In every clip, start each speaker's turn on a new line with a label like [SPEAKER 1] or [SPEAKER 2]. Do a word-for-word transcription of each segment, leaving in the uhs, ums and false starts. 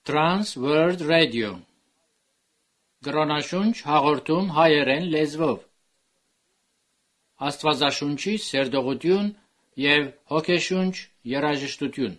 [SPEAKER 1] Trans World Radio Գրոնաշունչ հաղորդում հայերեն լեզվով Աստվածաշունչի սերտողություն և հոգեշունչ երաժշտություն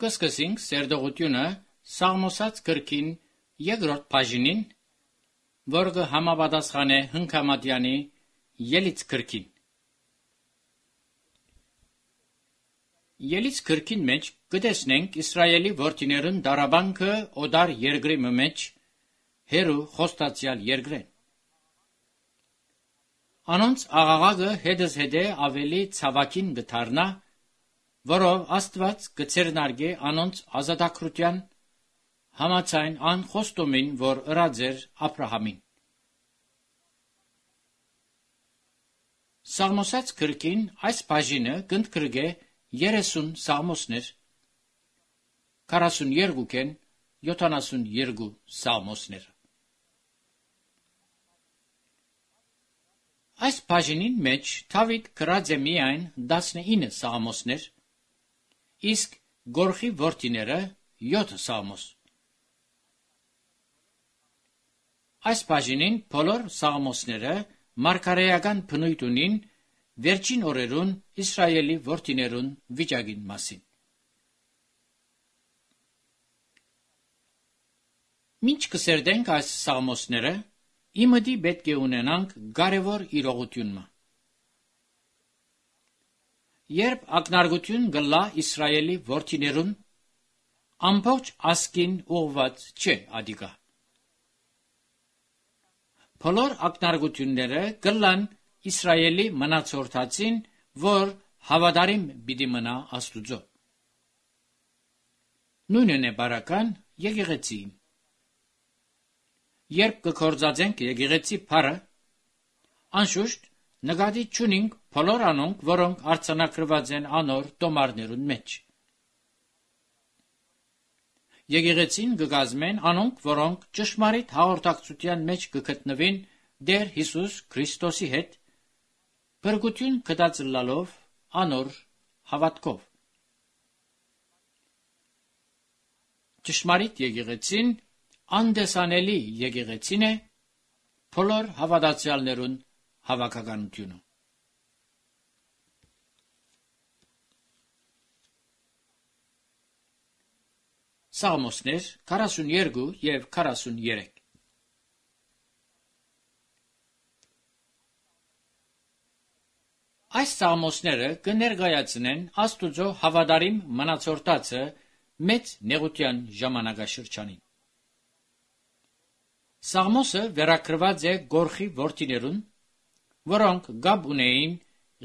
[SPEAKER 1] Կսկսենք սերտողությունը Սաղմոսած գրքին երկրորդ բաժինին, որը համապատասխան է Հնքամատյանի Ելից գրքին։ Ելից գրքին մեջ կտեսնենք Իսրայելի որդիներուն դարաբանքը օտար երկրի մեջ, հերու խոստացյալ երկրեն։ Անոնց աղաղակը հետս հետե ավելի ցավակին գթարնա, որով Աստված կցերնարգե անոնց ազատագրության համաձայն ան խոստումին, որ ըրած էր Աբրահամին։ Սաղմոսած գրքին այս բաժինը կընդգրկե երեսուն սաղմոսներ, քառասունյոթ յոթանասունյոթ սաղմոսներ։ Այս բաժինին մեջ Դավիթ գրած է միայն տասնինը սաղմոսներ, իսկ գորխի որդիները յոթ սաղմոս։ Այս բաժինին բոլոր սաղմոսները մարգարեական բնույթ ունին վերջին օրերուն Իսրայելի որդիներուն վիճակին մասին։ Մինչ կսերտենք այս սաղմոսները, իմըդի պետք է ունենանք կարևոր իրողությունը։ Երբ ակնարկություն գլա Իսրայելի որդիներուն, ամբողջ ազգին ուղված չէ ադիգա։ Բոլոր ակնարկությունները գլան Իսրայելի մնացորդածին, որ հավատարիմ պիտի մնա Աստուծո։ Նույնն է բարական եկեղեցին։ Երբ կգործածենք եկեղեցի փառը, անշուշտ նկատի չունենք բոլոր անոնք, որոնք արձանագրված են անոր տոմարներուն մեջ։ Եկեղեցին կգազմեն անոնք, որոնք ճշմարիտ հաղորդակցության մեջ կգտնվին Տեր Հիսուս Քրիստոսի հետ, փրկություն կդածլալով անոր հավատքով։ Ճշմարիտ եկեղեցին անդեսանելի եկեղեցին է բոլոր հավատացյալներուն հավաքականությունը։ Սաղմոսներ քառասունյոթ եւ քառասունյոթ։ Այս սաղմոսները կներկայացնեն Աստուծո հավատարիմ մնացորդածը մեծ նեղության ժամանակաշրջանին։ Սաղմոսը վերագրված է գորխի որդիներուն, որոնք գաբ ունեին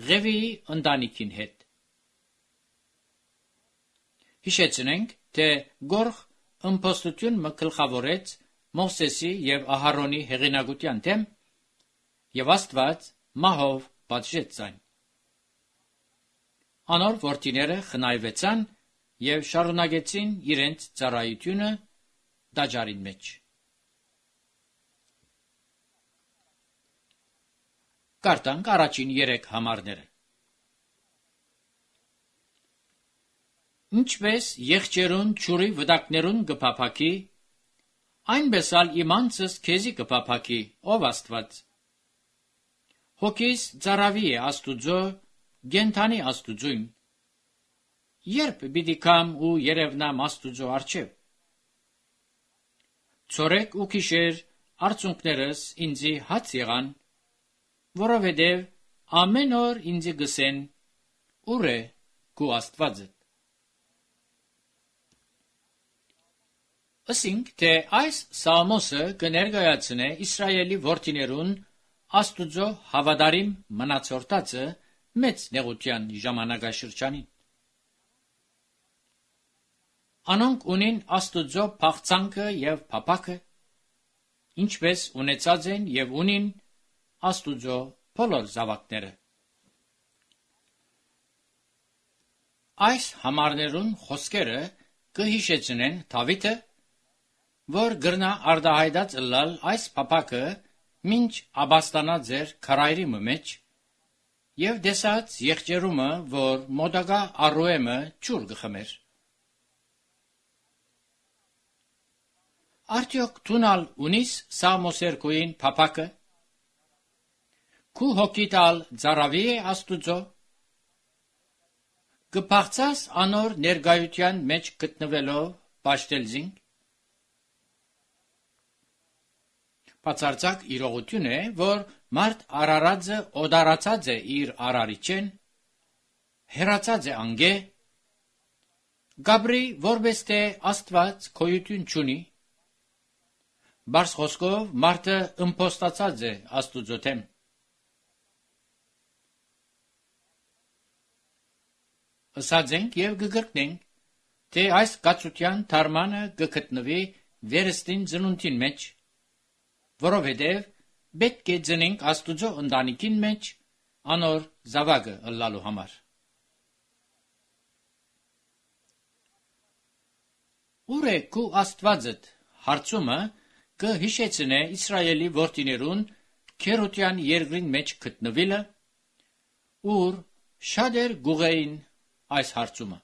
[SPEAKER 1] Ղևիի ընտանիքին հետ։ Հիշեցնենք, թե գորխ ըմբոստություն մը գլխավորեց Մովսեսի եւ Ահարոնի հեղինակության դեմ, եւ Աստված մահով պատժեց այն։ Անոր որդիները խնայվեցան եւ շարունակեցին իրենց ծառայությունը տաճարին մեջ։ Կարդանք առաջին երեք համարները։ Ինչպես եղջերուն ջուրի վտակներուն կփափակի, այնպես ալ իմանցս քեզի կփափակի, ով Աստված։ Հոգիս ծարավի է Աստուծո, գենթանի Աստուծույն։ Երբ պիտի կամ ու երևնամ Աստուծո առջև։ Ցորեկ ու գիշեր արցունքներս ինձի հաց եղան, որովհետև ամեն օր ինձ գսեն, ուր է քո Աստվածը։ Ասինք, թե այս սաղմոսը կներկայացնե Իսրայելի որդիներուն Աստուծո հավատարիմ մնացորդածը մեծ նեղության ժամանակաշրջանին։ Անոնք ունին Աստուծո փախցանքը եւ փափակը, ինչպես ունեցած են եւ ունին Աստուծո բոլոր զավակները։ Այս համարներուն խոսքերը կհիշեցնեն Դավիթը, որ գրնա արտահայտած ըլլալ այս փափակը մինչ աբաստանած էր քարայրի մեջ եւ դեսած եղջերումը, որ մոդագա Արոեմը ջուր գխմեր։ Արդյոք տունալ ունիս Սաղմոսերկույն փափակը։ Քու հոգիտալ ծարավի է Աստուծո։ Կփախցած անոր ներգայության մեջ գտնվելով պաշտելզինք։ Բացարձակ իրողություն է, որ մարդ արարածը օդարացած է իր արարիչեն, հերացած է անգե, գաբրի որպես թե Աստված քոյություն չունի, բարս խոսքով մարդը ըմբոստացած է Աստուծո դեմ։ Ըսած ենք եւ կգրկնենք, թե այս կացության թարմանը կգտնվի վերստին ծնունդին մեջ, որովհետև պետք է ծնենք Աստուծո ընտանիքին մեջ, անոր զավակը ըլլալու համար։ Ուր է քու Աստվածդ հարցումը կը հիշեցնե Իսրայելի որդիներուն քերության երկրին մեջ գտնվելը, ուր շատեր գուղեին այս հարցումը։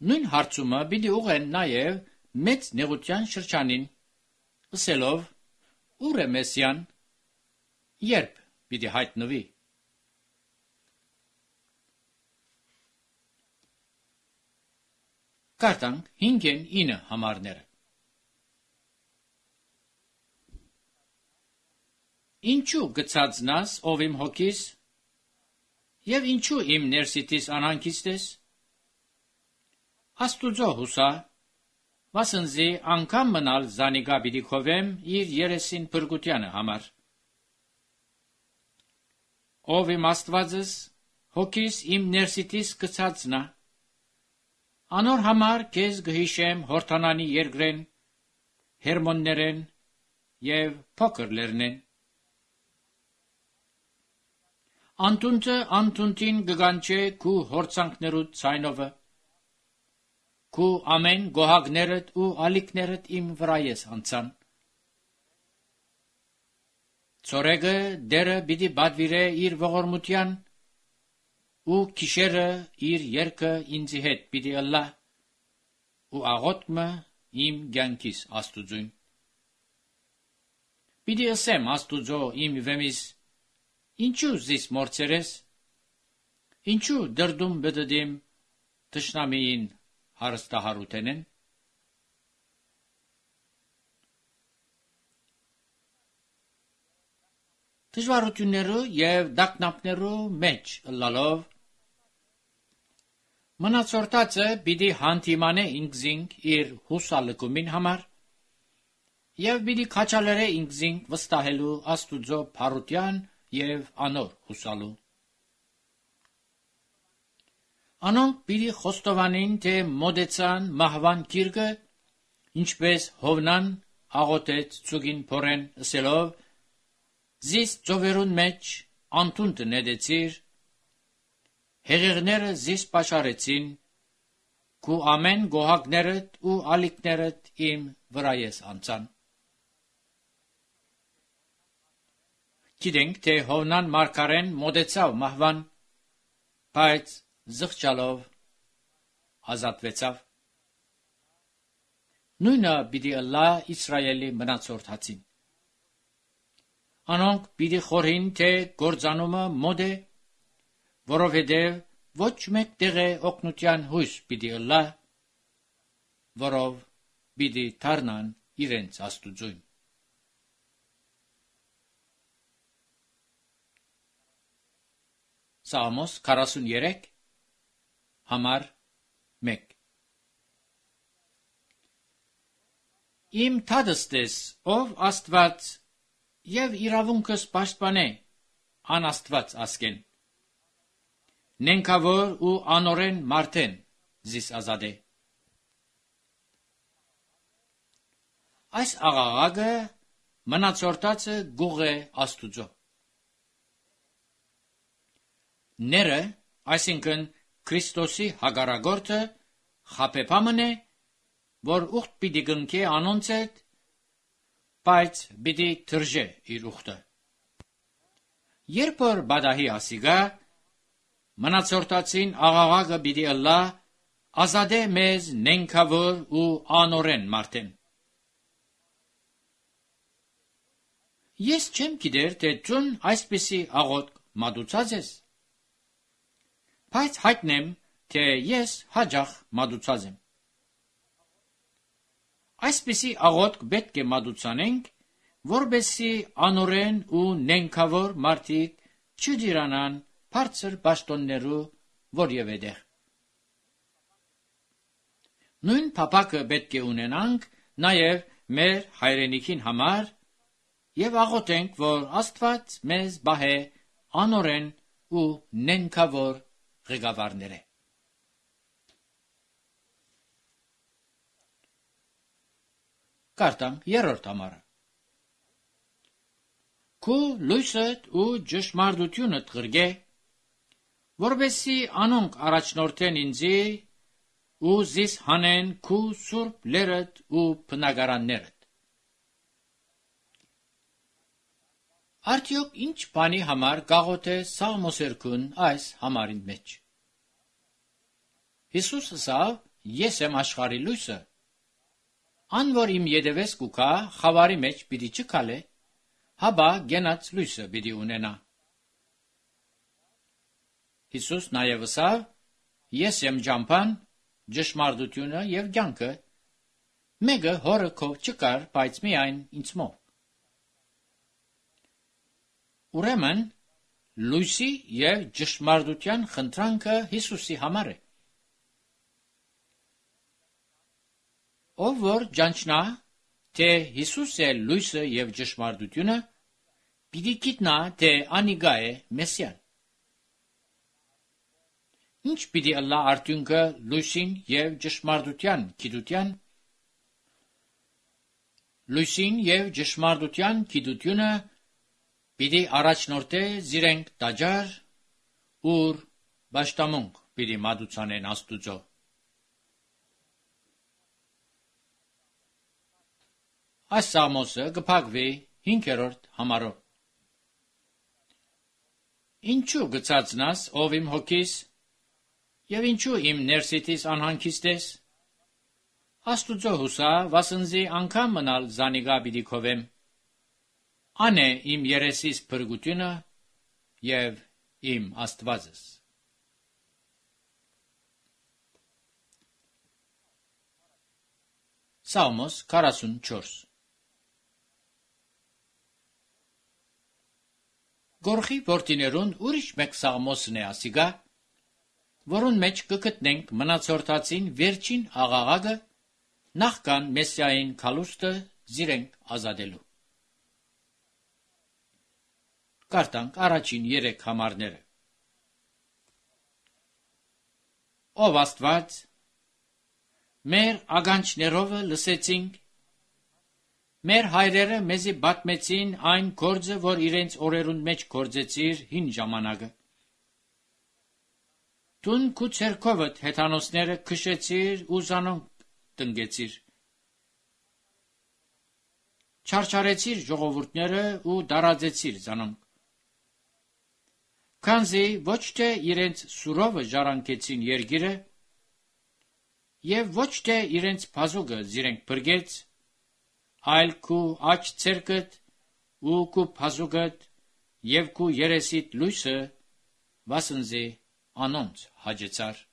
[SPEAKER 1] Նույն հարցումը պիտի ուղեն նաև մեծ նեղության շրջանին, ըսելով, ուր է Մեսիան, երբ պիտի հայտնվի։ Կարդանք հինգեն ինը համարները։ Ինչու գցածնաս ով իմ հոգիս, և ինչու իմ ներսիտիս անհանգիստ ես։ Աստուծո հուսա, վասնզի անգամ մնալ զանիկա պիտի քովեմ իր երեսին փրկությանը համար։ Ով իմ Աստվածս, հոգիս իմ ներսիտիս գցածնա, անոր համար քեզ գհիշեմ Հորդանանի երկրեն, Հերմոններեն և փոքր լեռնեն։ Անտունտը անտունտին գգանչե քու հորցանքներուդ ցայնովը, քու ամեն գոհակներդ ու ալիքներդ իմ վրա ես անցան։ Ցորեգը դերը պիտի բադվիրե իր ողորմության, ու քիշերը իր երկը ինձի հետ պիտի ըլլա, ու աղոտքը իմ կյանքիս Աստուծուն։ Պիտի ասեմ Աստուծո իմ վեմիս, ինչու զիս մորցերես, ինչու դրդում բդդիմ թշնամիին հարստահարութենեն։ Դժվարություններու և դակնապներու մեջ ըլլալով, մնացորդածը պիտի հանդիմանե ինքզինք իր հուսալկումին համար, և պիտի քաջալերե ինքզինք վստահելու Աստուծո փառության և անոր հուսալու։ Անոնք պիտի խոստովանին, թե մոդեցան մահվան գիրկը, ինչպես Հովնան աղոթեց ցուգին փորեն ըսելով, զիս ծովերուն մեջ անտունտը նետեցիր, հեղեղները զիս պաշարեցին, քու ամեն գոհակներդ ու ալիքներդ իմ վրա ես անցան։ Գիտենք, թե Հովնան մարգարեն մոտեցավ մահվան, բայց զղջալով ազատվեցավ։ Նույնը պիտի ըլլա Իսրայելի մնացորդածին։ Անոնք պիտի խորհին, թե գործանումը մոտ է, որովհետև ոչ մեկ տեղե օգնության հույս պիտի ըլլա, որով պիտի դառնան իրենց Աստուծուն։ Սաղմոս քառասուններեք համար մեկ։ Իմ թադստես, ով Աստված, և իրավունքս պաշտպանե, անաստված ասկեն, նենքավոր ու անորեն մարդեն զիս ազատե։ Այս աղաղակը մնացորդածը գուղ է Աստուծո։ Ները, այսինքն Քրիստոսի հագարագորտը, խապեպամն է, որ ուխտ պիտի գնքե անոնց հետ, բայց պիտի թրջե իր ուխտը։ Երբ որ բադահի ասիգա, մնացորդածին աղաղակը պիտի ըլլա, ազատե մեզ նենքավոր ու անորեն մարդեն։ Ես չեմ գիտեր, թե ճուն այսպիսի աղոտ մատուցած ես, բայց հայտնեմ, թե ես հաջախ մատուցած եմ։ Այսպիսի աղոտ պետք է մատուցանենք, որբեսի անորեն ու նենքավոր մարդիկ չդիրանան բարձր պաշտոններու որևէ տեղ։ Նույն փափակը պետք է ունենանք նաև մեր հայրենիքին համար և աղոթենք, որ Աստված մեզ բահե անորեն ու նենքավոր ղեկավարները։ Կարդանք երրորդ համարը։ քու լույսդ ու ճշմարտությունդ ղրգե, որովհետեւ անոնք առաջնորդեն ինձի ու զիս հանեն քու սուրբ լերդ ու բնակարաններդ։ Արդյոք ինչ բանի համար գաղոտ է Սաղմոսերքուն այս համարին մեջ։ Հիսուս ասավ. ես եմ աշխարհի լույսը, ան որ իմ ետևես կուքա խավարի մեջ պիտի չքալե, հաբա գենաց լույսը պիտի ունենա։ Հիսուս նաև ասավ. ես եմ ջամփան, ճշմարտությունը եւ կյանքը, մեկը հորը քով չկար, բայց միայն ինձմով։ Ուրեմն լույսի եւ ճշմարտության խնդրանքը Հիսուսի համար է։ Ով որ ճանչնա, թե Հիսուս է լույսը եւ ճշմարտությունը, պիտի գիտնա, թե անիգա է Մեսիան։ Ինչ պիտի ըլլա արդյունքը լույսին եւ ճշմարտության գիտության։ Լույսին եւ ճշմարտության գիտությունը պիտի առաջնորդե զիրենք տաճար, ուր բաշտամունք պիտի մատուցանեն Աստուծո։ Այս Սաղմոսը կփակվի հինգերորդ համարով։ Ինչու գծածնաս, ով իմ հոգիս, եւ ինչու իմ ներսիտիս անհանգիստ ես։ Աստուծո հուսա, վասնզի անգամ մնալ զանիգա պիտի քովեմ։ Ան է իմ երեսիս փրկությունը եւ իմ Աստվածս։ Սաղմոս քառասունչորս։ Գորխի որդիներուն ուրիշ մեկ Սաղմոսն է ասիգա, որուն մեջ կգտնենք մնացորդածին վերջին աղաղակը նախքան Մեսիային քալուստը զիրենք ազատելու։ Կարդանք առաջին երեք համարները։ Ով Աստված, մեր ագանչներովը լսեցինք, մեր հայրերը մեզի պատմեցին այն գործը, որ իրենց օրերուն մեջ գործեցիր հին ժամանակը։ Տուն քու ցերկովդ հեթանոսները քշեցիր ու զանոնք տնգեցիր։ Չարչարեցիր ժողովուրդները ու դարաձեցիր զանոնք։ Քանզի ոչ թե իրենց սուրովը ժառանգեցին երգիրը, եւ ոչ թե իրենց բազուկը զիրենք բրգեց, այլ քու աչ ցերկդ ու քու բազուկդ եւ քու երեսիդ լույսը վասնզի անոնց հաջեցար։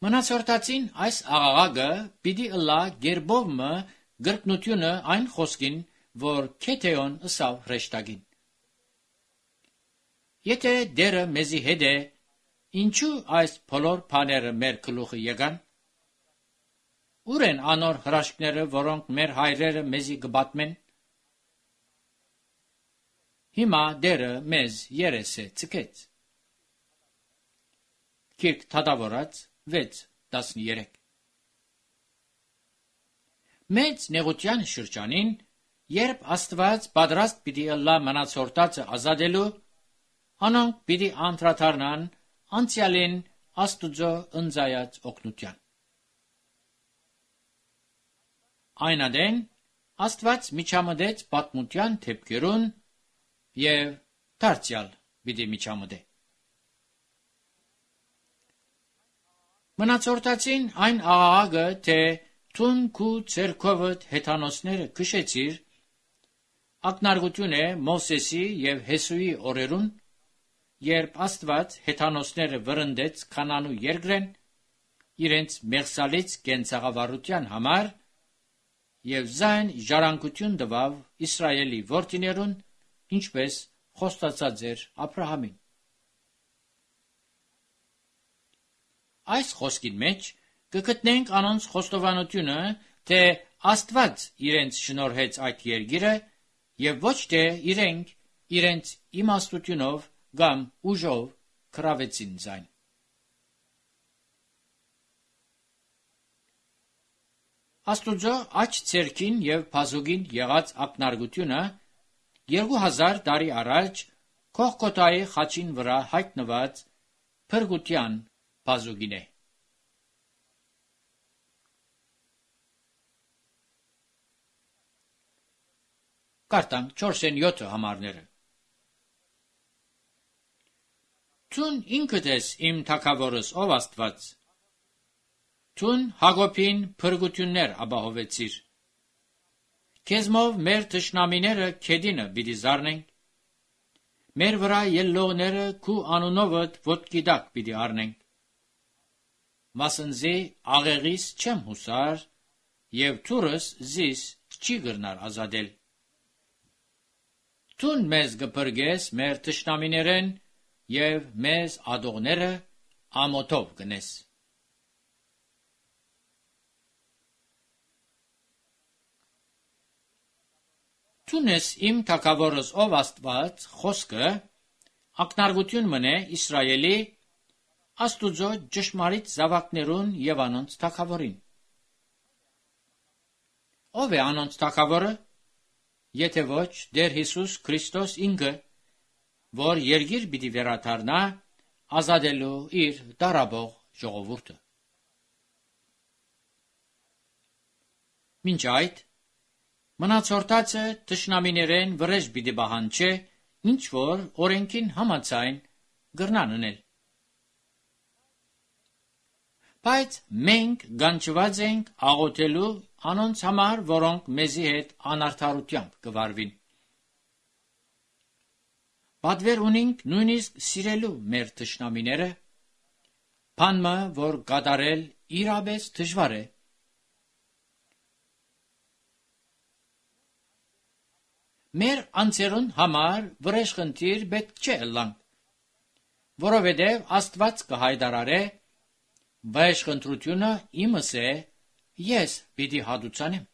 [SPEAKER 1] Մնացորդածին այս աղաղակը պիտի ըլլա գերբովմը գրկնությունը այն խոսքին, որ Քեթեոն ըսավ հրեշտակին։ Եթե դերը մեզի հետ է, ինչու այս բոլոր բաները մեր գլուխը եկան։ Ուր են անոր հրաշքները, որոնք մեր հայրերը մեզի կպատմեն։ Հիմա դերը մեզ երես է ցկեց։ Կիրք Թադավորած վեց տասներեք։ Մեծ նեղության շրջանին, երբ Աստված պատրաստ պիտի ըլլա մնացորդածը ազատելու, անոնք պիտի անդրադառնան անցյալին Աստուծո ընձայած օգնության։ Այն ադեն Աստված միջամտեց պատմության թեփքերուն եւ դարձյալ պիտի միջամտե։ Մնացորդածին այն աղաղակը, թե թուն քու ցերկովդ հեթանոսները քշեցիր, ակնարկություն է Մովսեսի եւ Հեսուի օրերուն, երբ Աստված հեթանոսները վրընդեց Քանանու երկրեն իրենց մեղսալից կենցաղավարության համար եւ զայն ժառանգություն տվավ Իսրայելի որդիներուն, ինչպես խոստացած էր Աբրահամին։ Այս խոսքին մեջ կգտնենք անոնց խոստովանությունը, թե Աստված իրենց շնորհեց այդ երկիրը եւ ոչ թե իրենք իրենց իմաստությունով կամ ուժով կրավեցին զայն։ Աստուծո աջ ցերքին եւ բազուգին եղած ակնարկությունը երկու հազար տարի առաջ Քողկոթայի խաչին վրա հայտնված փրկության բազուգին է։ Կարտանք չորսեն յոթ համարները։ Ցուն ինքդ ես իմ թագավորս, ով Աստված։ Ցուն Հակոբին փրկություններ ապահովեցիր։ Քեզմով մեր թշնամիները քեդինը պիտի զարնենք։ Մեր վրա ելլողները քու անունովդ ոտքի տակ պիտի առնենք։ Մասնզի աղեղիս չեմ հուսար, եւ թուրս զիս չի գրնար ազատել։ Ցուն մեզ գպրգես մեր թշնամիներեն եւ մեզ ադողները ամոթով գնես։ Ցունես իմ թագավորս, ով Աստված, խոսքը ակնարկություն մնե Իսրայելի Աստուծո ճշմարիտ զավակներուն եւ անոնց թագավորին։ Ով է անոնց թագավորը, եթե ոչ Տեր Հիսուս Քրիստոս ինքը, որ երգիր պիտի վերադառնա ազատելու իր դարաբող ժողովուրդը։ Մինչ այդ մնացորդացը թշնամիներեն վրեժ պիտի բահանչե, ինչ որ օրենքին համաձայն գրնան ունել։ Բայց մենք գանչված ենք աղոթելու անոնց համար, որոնք մեզի հետ անարդարությամբ կվարվին։ Պատվեր ունենք նույնիսկ սիրելու մեր թշնամիները, բանմը, որ կատարել իրապես դժվար է։ Մեր անձերուն համար վրեժխնդիր պետք չէ ըլլանք, որովհետև Աստված կհայտարարե, վրեժխնդրությունը իմս է, ես պիտի հատուցանեմ։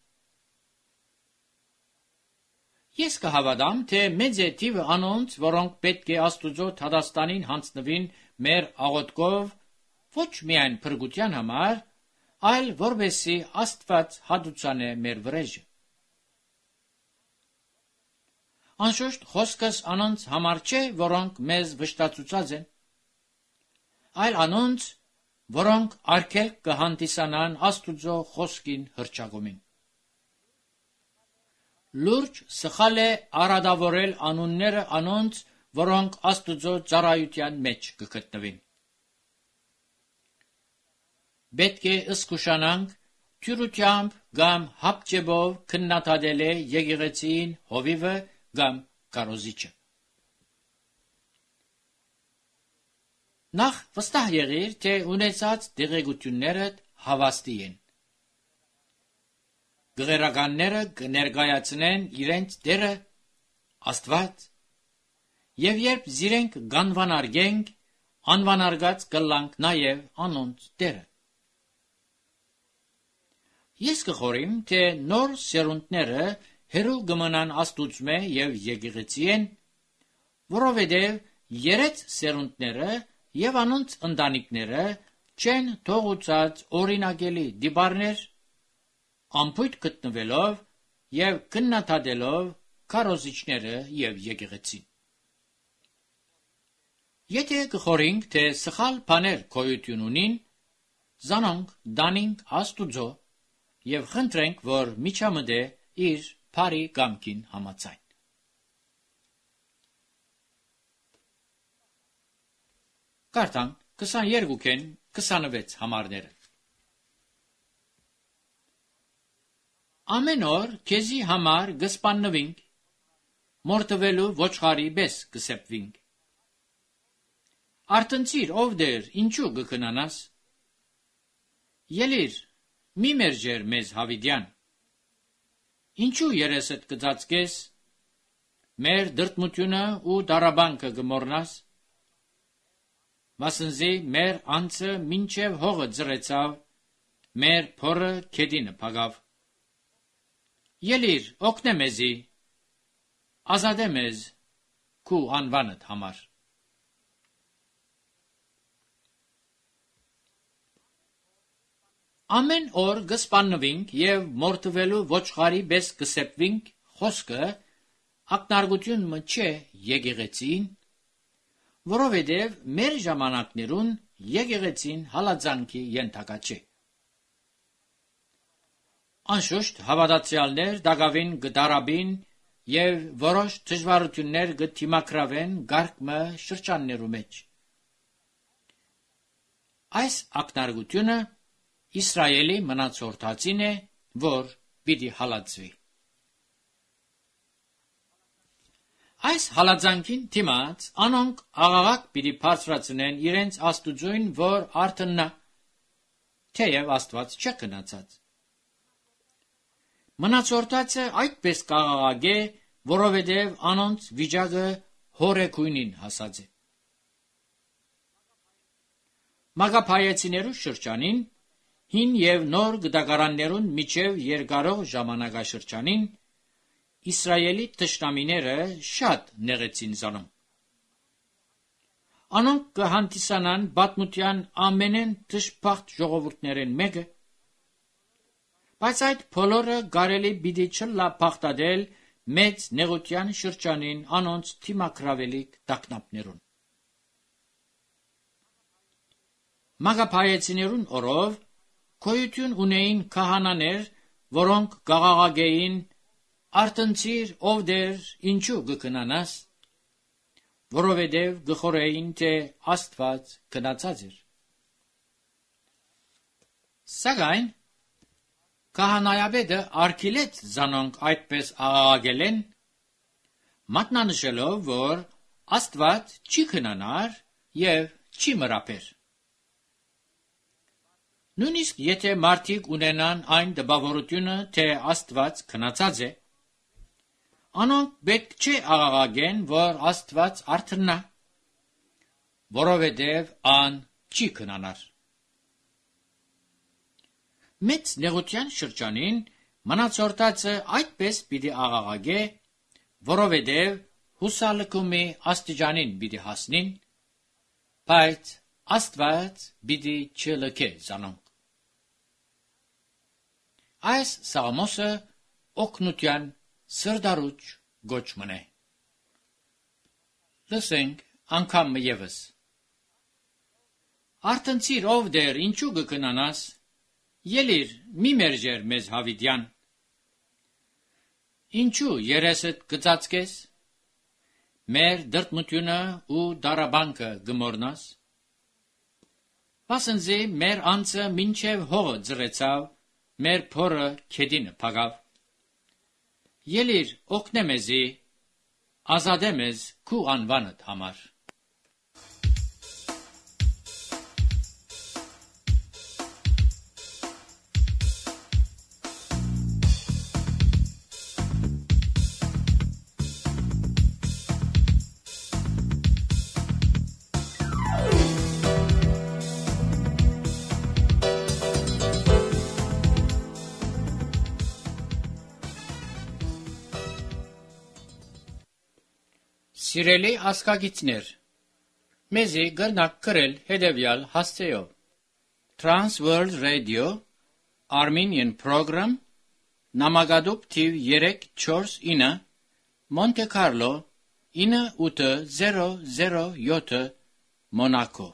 [SPEAKER 1] Ես կհավատամ, թե մեծ է թիվը անոնց, որոնք պետք է Աստուծո թադաստանին հանձնվին մեր աղոթքով, ոչ միայն փրկության համար, այլ որպեսզի Աստված հատուցանե մեր վրեժը։ Անշուշտ խոսքս անոնց համար չէ, որոնք մեզ վշտացուցած են, այլ անոնց, որոնք արգելք կհանդիսանան Աստուծո խոսքին հռչակումին։ Լուրջ սխալ է արադավորել անունները անոնց, որոնք Աստուծո ծառայության մեջ կգտնվին։ Պետք է ըսկուշանանք թյուրությամբ կամ հապճեբով քննադատել է եկեղեցին հովիվը կամ կարոզիչը։ Նախ վստահ եղիր, թե ունեցած դեղեցություններդ հավաստի են։ Գղերականները կներկայացնեն իրենց դերը Աստված, եւ երբ զիրենք գանվանարգենք, անվանարգած կլանք նաեւ անոնց դերը։ Ես կխորիմ, թե նոր սերունդները հերու կմնան Աստուծմե եւ եկեղեցին, որովհետեւ երեց սերունդները եւ անոնց ընտանիքները չեն թողուցած օրինակելի դիբարներ, ամփույթ գտնվելով եւ քննադատելով քարոզիչները եւ եկեղեցին։ Եթե կխորինք, թե սխալ բաներ գոյություն ունին, զանոնք դանինք Աստուծո եւ խնդրենք, որ միջամտե իր բարի կամքին համաձայն։ Կարտանք քսաներկուքեն քսանվեց համարները։ Ամեն օր քեզի համար գսպաննվինք, մորթվելու ոչխարի պես կսեպվինք։ Արտնցիր, ով դեր, ինչու կքնանաս։ Ելիր, մի մերժեր մեզ հավիդյան։ Ինչու երեսդ կծածկես, մեր դրտմությունը ու դարաբանքը կմորնաս։ Մասնզի մեր անձը մինչև հողը ձրեցավ, մեր փորը քեդինը փագավ։ Ելիր, օգնե մեզի, ազատե մեզ քու անվանդ համար։ Ամեն օր գսպաննվինք եւ մորթվելու ոչխարի պես կսեպվինք խոսքը ակնարգություն մը չէ եկեղեցին, որովհետև մեր ժամանակներուն եկեղեցին հալածանքի ենթակա չէ։ Անշուշտ հավատացյալներ դակավին գդարաբին եւ որոշ դժվարություններ գտիմակրավեն գարկմը շրջաններու մեջ։ Այս ակնարգությունը Իսրայելի մնացորդածին է, որ պիտի հալածվի։ Այս հալածանքին դիմաց անոնք աղաղակ պիտի բարձրացնեն իրենց Աստուծոյն, որ արթնա, թեև Աստված չէ քնացած։ Մնացորդածը այդպես կաղաղագե, որովհետև անոնց վիճակը հորեկույնին հասած է։ Մագապայեցիներու շրջանին հին եւ նոր գդակարաններուն միջև երկարող ժամանակաշրջանին Իսրայելի թշնամիները շատ նեղեցին զանում։ Անոնք կհանդիսանան պատմության ամենեն դժբախտ ժողովուրդներեն մեկը, բայց այդ բոլորը կարելի պիտի չլա փախտadel մեծ նեղության շրջանին անոնց թիմակրավելիք տակնապներուն։ Մագապայեցիներուն օրով գոյություն ունեին քահանաներ, որոնք գաղաղագեին արտնցիր ով դեր ինչու գկնանաս, որովհետև գխորեին թե Աստված քնացած էր։ Սակայն քահանայապետը արգելեց զանոնք այդպես աղաղագելեն, մատնանշելով, որ Աստված չի քնանար եւ չի մրապեր։ Նույնիսկ եթե մարդիկ ունենան այն դպավորությունը, թե Աստված քնացած է, անոնք պետք չէ աղաղագեն, որ Աստված արթնա, որովհետև ան չի քնանար։ Մեծ նեղության շրջանին մնացորդածը այդպես պիտի աղաղագե, որովհետև հուսալքումի աստիճանին պիտի հասնին, բայց Աստված պիտի չլքե զանոնք։ Այս սաղմոսը օգնության սրդարուճ գոչմն է։ Լսենք անգամ ևս։ Արտնցիր ով դեր ինչու գկնանաս, ելիր մի մերժեր մեզ հավիդյան։ Ինչու երեսդ գծածկես, մեր դրտմությունը ու դարաբանքը գմորնաս։ Վասնզի մեր անձը մինչև հողը ձրեցավ, մեր փորը քեդինը փագավ։ Ելիր օգնե մեզի, ազատե մեզ քու անվանդ համար։ Սիրելի ասկագիցներ, մեզի գրնակ կրել հետևյալ հասցեով. Trans World Radio, Armenian Program, Նամակադուպ թիվ երեք չորս ինը, Monte Carlo, ինը ութ զերո զերո յոթ, Monaco։